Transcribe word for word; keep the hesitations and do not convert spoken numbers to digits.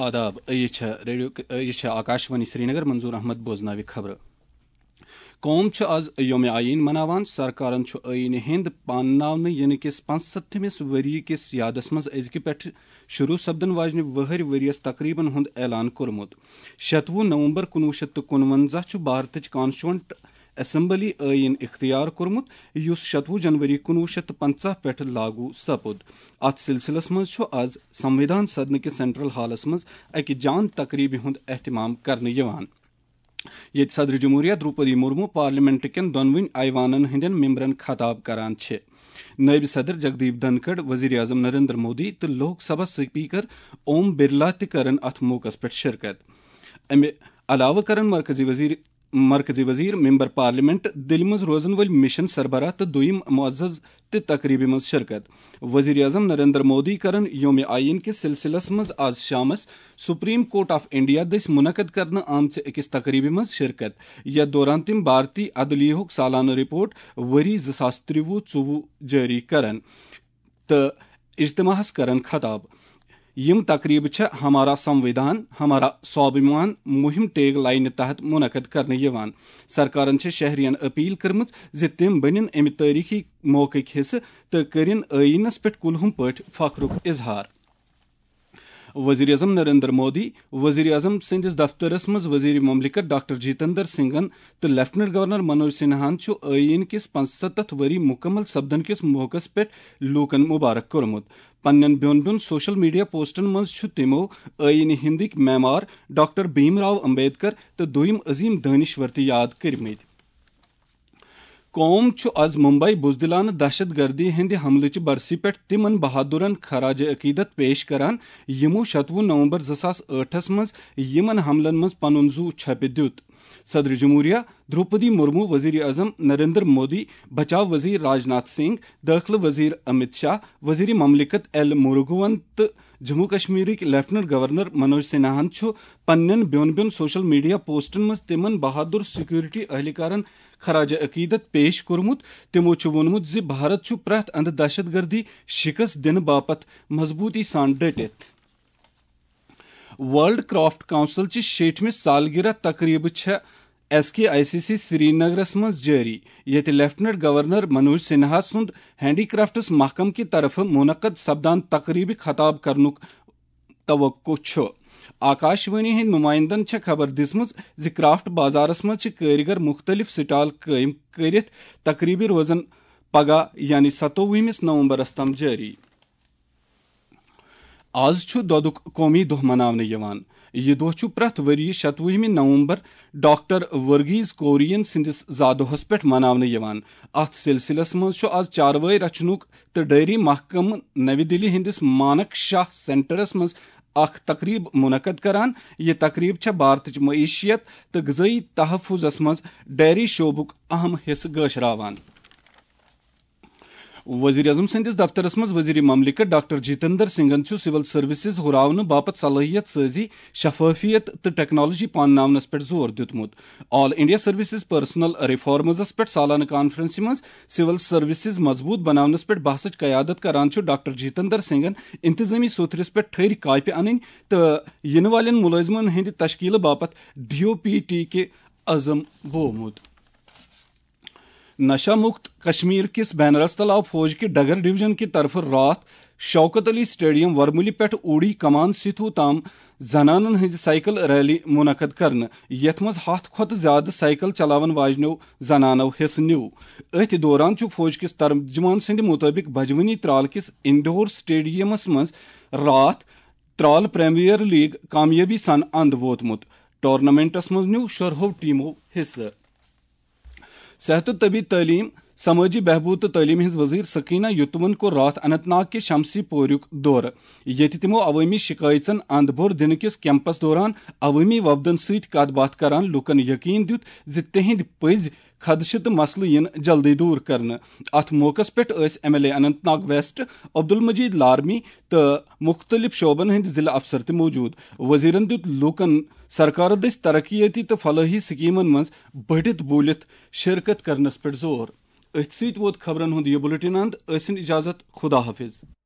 آداب، یہِ چھےٚ ریڈیو، یہِ چھےٚ آکاشوانی سرینگر۔ منظور احمد بوزناوِ خبرٕ۔ قوم چھُ آز یوم آئین مناوان۔ سرکارن چھُ آئینہِ ہِنٛد پانناونہٕ یِنہٕ کِس پانٛژستھمِس ؤری کِس یادس منٛز أزکہِ پٮ۪ٹھ شروع سپدن واجنہِ وُہٕرۍ ؤرۍیَس تقریبن ہُنٛد اعلان کوٚرمُت۔ شتوُہ نومبر کُنوُہ شیٚتھ تہٕ کُنوَنزاہ چھُ بھارتٕچ کانسٹیچوئنٹ اسمبلی آئین اختیار کوٚرمُت، یُس شتوُہ جنوری کُنوُہ شیٚتھ تہٕ پنٛژاہ پٮ۪ٹھ لاگو سپُد۔ اتھ سلسلس منٛز چھُ آز سنویدھان سدنہٕ کِس سینٹرل ہالس منٛز اکہِ جان تقریبہِ ہُنٛد اہتمام کرنہٕ یِوان، ییٚتہِ صدر جمہوریہ دروپدی مرمو پارلیمنٹ کٮ۪ن دۄنوٕنی ایوانن ہٕنٛدٮ۪ن ممبرن خطاب کران چھِ۔ نٲیِب صدر جگدیپ دھنکھڑ، وزیر اعظم نریندر مودی تہٕ لوک سبھا سپیکر اوم برلا تہِ کرن اتھ موقعس پٮ۪ٹھ شرکت۔ امہِ علاوٕ کرن مرکزی وزیر مرکزی وزیر، ممبر پارلیمنٹ، دِلہِ منٛز روزن وٲلۍ مشن سربراہ تہٕ دوٚیم معزز تہِ تقریبہِ منٛز شرکت۔ وزیر اعظم نریندر مودی کرن یوم آئین کِس سلسلس منٛز آز شامس سپریم کورٹ آف انڈیا دٔسۍ منعقد کرنہٕ آمژِ أکِس تقریبہِ منٛز شرکت، یتھ دوران تِم بھارتی عدلیہُک سالانہٕ رپورٹ ؤری زٕ ساس ترٛوُہ ژوٚوُہ جٲری کرن تہٕ اجتماعس کرن خطاب۔ یِم تقریبہٕ چھےٚ ہمارا سنویدھان، ہمارا سوابھیمان مُہِم ٹیگ لاینہِ تحت منعقد کرنہٕ یِوان۔ سرکارن چھےٚ شہرین اپیل کٔرمٕژ زِ تِم بٔنِن امہِ تٲریخی موقعٕکۍ حصہٕ تہٕ کٔرِن ٲییٖنس پٮ۪ٹھ کُلہُم پٲٹھۍ فخرُک اظہار۔ وزیر اعظم نریندر مودی، وزیر اعظم سٕنٛدِس دفترس منٛز وزیر مملکت ڈاکٹر جتیندر سنگھن تہٕ لیفٹیننٹ گورنر منوج سنہاہن چھُ ٲییٖن کِس پانٛژستتھ ؤری مکمل سپدن کِس موقعس پٮ۪ٹھ لوٗکن مبارک کوٚرمُت۔ پننٮ۪ن بیوٚن بیوٚن سوشل میڈیا پوسٹن منٛز چھُ تِمو ٲییٖنہِ ہِنٛدٕکۍ معمار ڈاکٹر بھیم راو امبیڈکر تہٕ دوٚیم عظیم دٲنِشور تہِ یاد کٔرمٕتۍ۔ قوم چھُ از ممبئی بزدلانہٕ دہشت گردی ہٕنٛدِ حملٕچہِ برسی پٮ۪ٹھ تِمن بہادرن خراج عقیدت پیش کران، یِمو شتوُہ نومبر زٕ ساس ٲٹھس منٛز یِمن حملن منٛز پنُن زُو چھۄپہِ دیُت۔ صدر جمہوریہ دروپدی مرمو، وزیر اعظم نریندر مودی، بچاو وزیر راجناتھ سنگھ، دٲخلہٕ وزیر امت شاہ، وزیر مملکت ایل مروگون تہٕ جموں کشمیرٕکۍ لیفٹیننٹ گورنر منوج سنہاہن چھُ پننٮ۪ن بیوٚن بیوٚن سوشل میڈیا پوسٹن منٛز تِمن بہادر سیکورٹی اہلکارن خراج عقیدت پیش کوٚرمُت۔ تِمو چھُ ووٚنمُت زِ بھارت چھُ پرٛٮ۪تھ اندٕ دہشت گردی شکست دِنہٕ باپتھ مضبوٗطی سان ڈٔٹِتھ۔ ورلڈ کرافٹ کونسل چہِ شیٹھمہِ سالگرہ تقریبہٕ چھےٚ S K I C C سرینگرس منٛز جٲری، ییٚتہِ لیفٹیننٹ گورنر منوج سنہا سُنٛد ہینڈی کرافٹس محکمہٕ کہِ طرفہٕ منعقد سپدان تقریبہِ خطاب کرنُک توقع چھُ۔ آکاشوانی ہٕنٛدۍ نمائندن چھےٚ خبر دِژمٕژ زِ کرافٹ بازارس منٛز چھِ کٲرۍگر مُختٔلِف سٹال قٲیِم کٔرِتھ تقریبہِ روزن پگاہ یعنی ستووُہمِس نومبرس تام جٲری۔ آز چھُ دۄدُک قومی دۄہ مناونہٕ یِوان۔ یہِ دۄہ چھُ پرٛٮ۪تھ ؤرۍ یہِ شتوُہمہِ نومبر ڈاکٹر ورگیز کورین سٕنٛدِس زادۄہس پٮ۪ٹھ مناونہٕ یِوان۔ اتھ سلسلس منٛز چھُ آز چاروٲے رچھنُک تہٕ ڈیری محکمہٕ نَوِ دِلہِ ہٕنٛدِس مانک شاہ سینٹرس منٛز اکھ تقریب منعقد کران۔ یہِ تقریب چھےٚ بھارتٕچ معیشت تہٕ غذٲیی تحفظس منٛز ڈیری شعبُک اہم حصہٕ گٲشراوان۔ وزیر اعظم سٕنٛدِس دفترس منٛز وزیر مملکت ڈاکٹر جتیندر سنگھن چھُ سول سروسز ہُراونہٕ باپتھ صلٲحیت سٲزی، شفافیت تہٕ ٹیکنالوجی پانناونس پٮ۪ٹھ زور دیُتمُت۔ آل انڈیا سروسز پرسنل ریفارمزس پٮ۪ٹھ سالانہٕ کانفرنسہِ منٛز سول سروسز مضبوٗط بناونس پٮ۪ٹھ بحثٕچ قیادت کران چھُ ڈاکٹر جتیندر سنگھن انتظامی سوتھرِس پٮ۪ٹھ ٹھٔرۍ کاپہِ انٕنۍ تہٕ یِنہٕ والٮ۪ن مُلٲزمن ہٕنٛدِ تشکیلہٕ باپتھ ڈی او پی ٹی کہِ عزم بوومُت۔ نشہ مکت کشمیر کِس بین التلاو فوج کہِ ڈگر ڈویژن کہِ طرفہٕ راتھ شوکت علی سٹیڈیم ورمُلہِ پٮ۪ٹھ اوڑی کمان سیتھو تام زنانن ہٕنٛزِ سائیکل ریلی منعقد کرنہٕ، یتھ منٛز ہتھ کھۄتہٕ زیادٕ سائیکل چلاون واجنیو زنانو حصہٕ نیوٗ۔ أتھۍ دوران چھُ فوج کِس ترجمان سٕنٛدِ مُطٲبِق بجوٕنی ترال کِس انڈور سٹیڈیمس منٛز راتھ ترال پریمیئر لیگ کامیٲبی سان اند ووتمُت۔ ٹورنامنٹس منٛز نیوٗ شُرہو ٹیمو حصہٕ۔ صحت تہٕ طبی تعلیٖم، سمٲجی بہبود تہٕ تعلیٖم ہٕنٛز وزیر سکینہ یتوَن کوٚر راتھ اننت ناگ کہِ شمسی پوریُک دورٕ، ییٚتہِ تِمو عوٲمی شِکایژن اند بور دِنہٕ کِس کیمپس دوران عوٲمی وفدن سۭتۍ کتھ باتھ کران لوٗکن یقین دیُت زِ تِہنٛدۍ پٔزۍ خدشہٕ تہٕ مسلہٕ یِن جلدی دوٗر کرنہٕ۔ اتھ موقعس پٮ۪ٹھ ٲسۍ M L A Anantnag west Abdul Majid Larmi تہٕ مُختٔلِف شعبن ہٕنٛدۍ ضلع افسر تہِ موجود۔ وزیرن دیُت لوٗکن سرکارٕ دٔسۍ ترقیٲتی تہٕ فلٲحی سکیمن منٛز بٔڑِتھ بوٗلِتھ شرکت کرنس پٮ۪ٹھ زور۔ أتھۍ سۭتۍ ووت خبرن ہُنٛد یہِ بُلٹن اند۔ ٲسِن اجازت، خدا حافظ۔